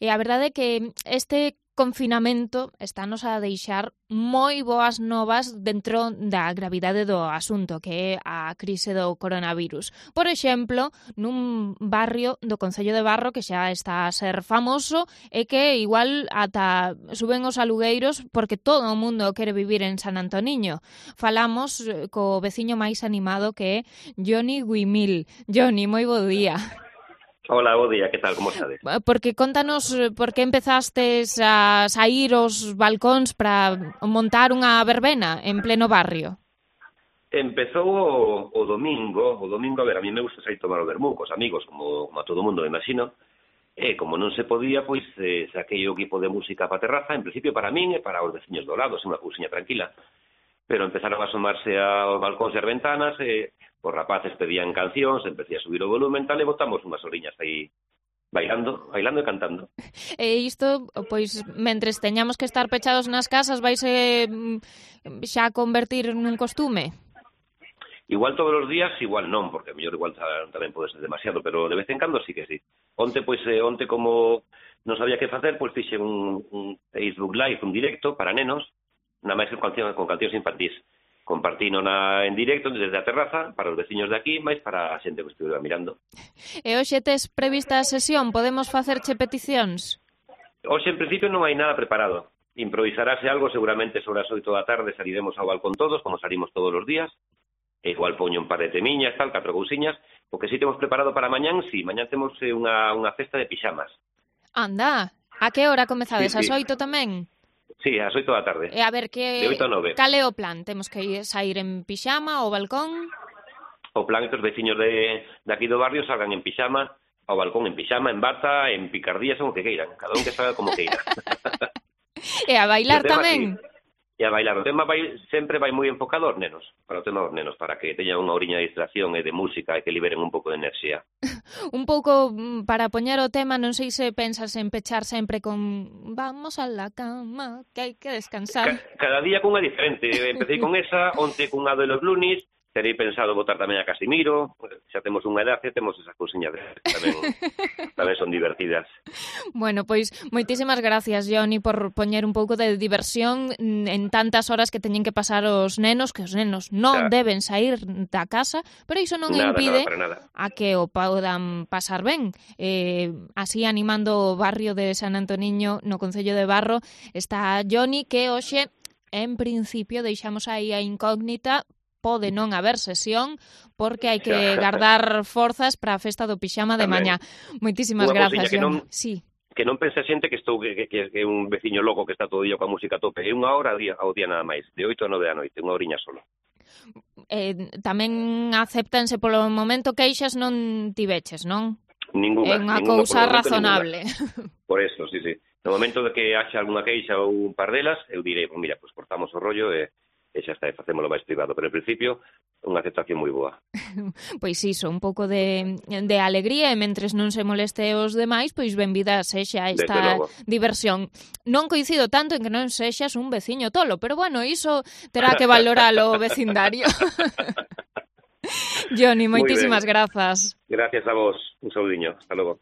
E a verdade é que este confinamento estános a deixar moi boas novas dentro da gravidade do asunto, que é a crise do coronavirus. Por exemplo, nun barrio do Concello de Barro que xa está a ser famoso e que igual ata suben os alugueiros porque todo o mundo quere vivir en San Antoniño. Falamos co veciño máis animado que é Johnny Guimil. Johnny, moi bo día. Hola, bo día, que tal, como estades? Porque contanos por que empezastes a sair aos balcóns para montar unha verbena en pleno barrio. Empezou o domingo, a ver, a mí me gusta sair tomar o vermú cos amigos, como a todo mundo, me imagino, e como non se podía, pois saquei o equipo de música para terraza, en principio para min e para os veciños do lado, unha cousiña tranquila, pero empezaron a asomarse aos balcóns e as ventanas, e os rapaces pedían cancións, empecé a subir o volumen, tal, e botamos unhas oriñas aí bailando e cantando. E isto, pois, mentres teñamos que estar pechados nas casas, vaise xa convertir nun costume? Igual todos os días, igual non, porque mellor igual tamén pode ser demasiado, pero de vez en cando sí que sí. Onte como non sabía que facer, pois fixe un Facebook Live, un directo para nenos, na máis con cancións infantís. Compartino en directo desde a terraza para os veciños de aquí, máis para a xente que estuve mirando. E hoxe tes prevista a sesión? Podemos facerche peticións? Hoxe, en principio, non hai nada preparado. Improvisarase algo, seguramente sobre as 8 da tarde saliremos ao balcón todos, como salimos todos os días. E igual poño un par de temiñas, tal, 4 cousiñas. O que sí temos preparado para mañán, sí, mañán temos unha festa de pixamas. Anda, a que hora comezades? Sí. As 8 tamén? Sí, ás 8 da tarde. E a ver, de 8 a 9. Cal é o plan? Temos que sair en pixama ao balcón? O plan é que os veciños de aquí do barrio salgan en pixama, ao balcón en pixama, en bata, en picardías, o que queiran. Cada un que salga como queira. E a bailar tamén? Sí. E a bailar. O tema sempre vai moi enfocado aos nenos, para o tema dos nenos, para que teñan unha oriña de distracción e de música e que liberen un pouco de enerxía. Un pouco para poñer o tema, non sei se pensas en pechar sempre con vamos a la cama, que hai que descansar. Cada día cunha diferente. Empecé con esa, onte cunha de los lunis, terei pensado botar tamén a Casimiro, xa temos unha edade, temos esas cousiñas tamén son divertidas. Bueno, pois moitísimas gracias, Johnny, por poñer un pouco de diversión en tantas horas que teñen que pasar os nenos, que os nenos non deben sair da casa, pero iso non impide a que o podan pasar ben. Así, animando o barrio de San Antoniño no Concello de Barro, está Johnny, que hoxe, en principio, deixamos aí a incógnita. Pode non haber sesión porque hai que guardar forzas para a festa do pixama de mañá. Moitísimas grazas, Johnny. Que non pense a xente que é un veciño loco que está todo o día coa música a tope. É unha hora ao día nada máis, de 8 a 9 da noite, unha oriña solo. Tamén acéptanse polo momento queixas non tiveches, non? Ninguna. É unha cousa razonable. Por eso, sí. No momento de que haxa algunha queixa ou un par delas, eu direi, mira, pues cortamos o rollo e xa está, facémolo máis privado, pero en principio unha aceptación moi boa. Pois iso, un pouco de alegría e mentres non se moleste os demais, pois benvida sexa esta diversión. Non coincido tanto en que non sexas un veciño tolo, pero bueno, iso terá que valoralo o vecindario. Johnny, moitísimas grazas. Gracias a vos, un saudiño, hasta logo.